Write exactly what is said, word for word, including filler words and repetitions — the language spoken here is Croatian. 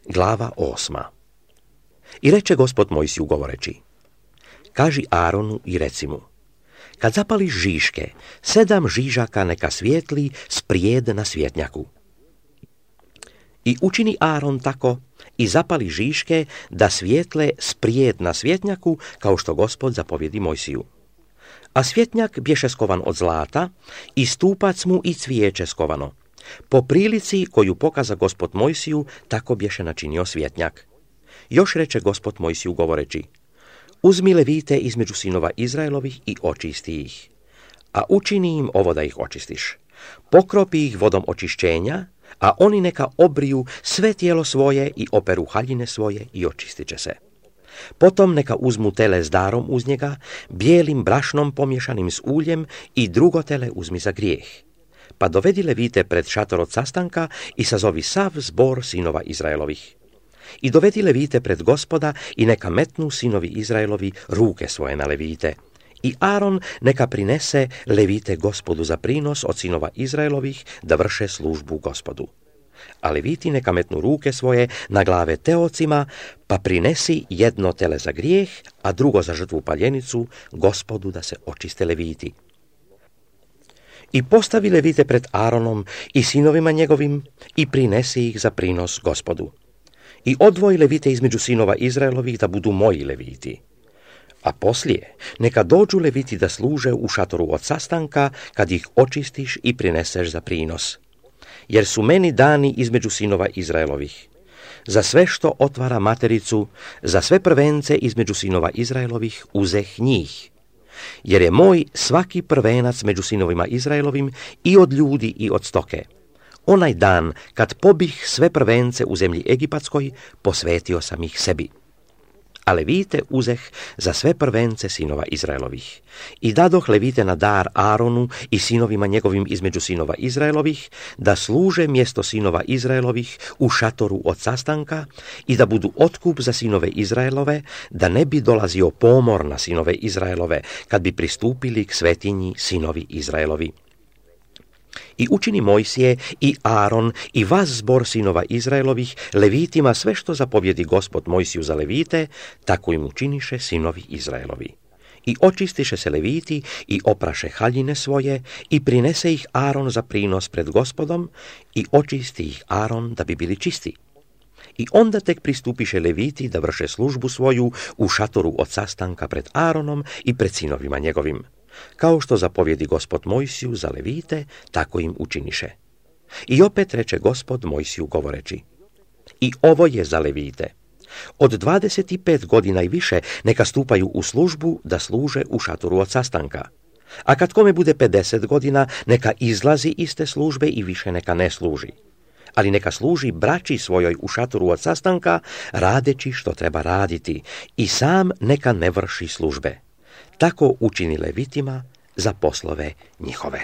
Glava osma. I reče Gospod Mojsiju govoreći: Kaži Aronu i reci mu: Kad zapališ žiške, sedam žižaka neka svijetli sprijed na svjetnjaku. I učini Aron tako i zapali žiške da svijetle sprijed na svjetnjaku, kao što Gospod zapovjedi Mojsiju. A svjetnjak bješe skovan od zlata i stupac mu i cvijeće skovano. Po prilici koju pokaza Gospod Mojsiju, tako bješe načinio svjetnjak. Još reče Gospod Mojsiju govoreći: Uzmi levite između sinova Izraelovih i očisti ih, a učini im ovo da ih očistiš. Pokropi ih vodom očišćenja, a oni neka obriju sve tijelo svoje i operu haljine svoje i očistit će se. Potom neka uzmu tele s darom uz njega, bijelim brašnom pomješanim s uljem, i drugo tele uzmi za grijeh. Pa dovedi levite pred šator od sastanka i sazovi sav zbor sinova Izraelovih. I dovedi levite pred Gospoda i neka metnu sinovi Izraelovi ruke svoje na levite. I Aron neka prinese levite Gospodu za prinos od sinova Izraelovih da vrše službu Gospodu. A leviti neka metnu ruke svoje na glave teocima, pa prinesi jedno tele za grijeh, a drugo za žrtvu paljenicu Gospodu da se očiste leviti. I postavi levite pred Aronom i sinovima njegovim i prinesi ih za prinos Gospodu. I odvoji levite između sinova Izraelovih da budu moji leviti. A poslije neka dođu leviti da služe u šatoru od sastanka kad ih očistiš i prineseš za prinos. Jer su meni dani između sinova Izraelovih. Za sve što otvara matericu, za sve prvence između sinova Izraelovih uzeh njih. Jer je moj svaki prvenac među sinovima Izraelovim i od ljudi i od stoke. Onaj dan kad pobih sve prvence u zemlji Egipatskoj, posvetio sam ih sebi. A levite uzeh za sve prvence sinova Izraelovih. I dadoh levite na dar Aronu i sinovima njegovim između sinova Izraelovih, da služe mjesto sinova Izraelovih u šatoru od sastanka i da budu otkup za sinove Izraelove, da ne bi dolazio pomor na sinove Izraelove kad bi pristupili k svetinji sinovi Izraelovi. I učini Mojsije i Aron i vas zbor sinova Izraelovih levitima sve što zapovjedi Gospod Mojsiju za levite, tako im učiniše sinovi Izraelovi. I očistiše se leviti i opraše haljine svoje i prinese ih Aron za prinos pred Gospodom i očisti ih Aron da bi bili čisti. I onda tek pristupiše leviti da vrše službu svoju u šatoru od sastanka pred Aronom i pred sinovima njegovim. Kao što zapovjedi Gospod Mojsiju za levite, tako im učiniše. I opet reče Gospod Mojsiju govoreći: I ovo je za levite. Od dvadeset pet godina i više neka stupaju u službu da služe u šatoru od sastanka. A kad kome bude pedeset godina, neka izlazi iz te službe i više neka ne služi. Ali neka služi braći svojoj u šatoru od sastanka, radeći što treba raditi, i sam neka ne vrši službe. Tako učini levitima za poslove njihove.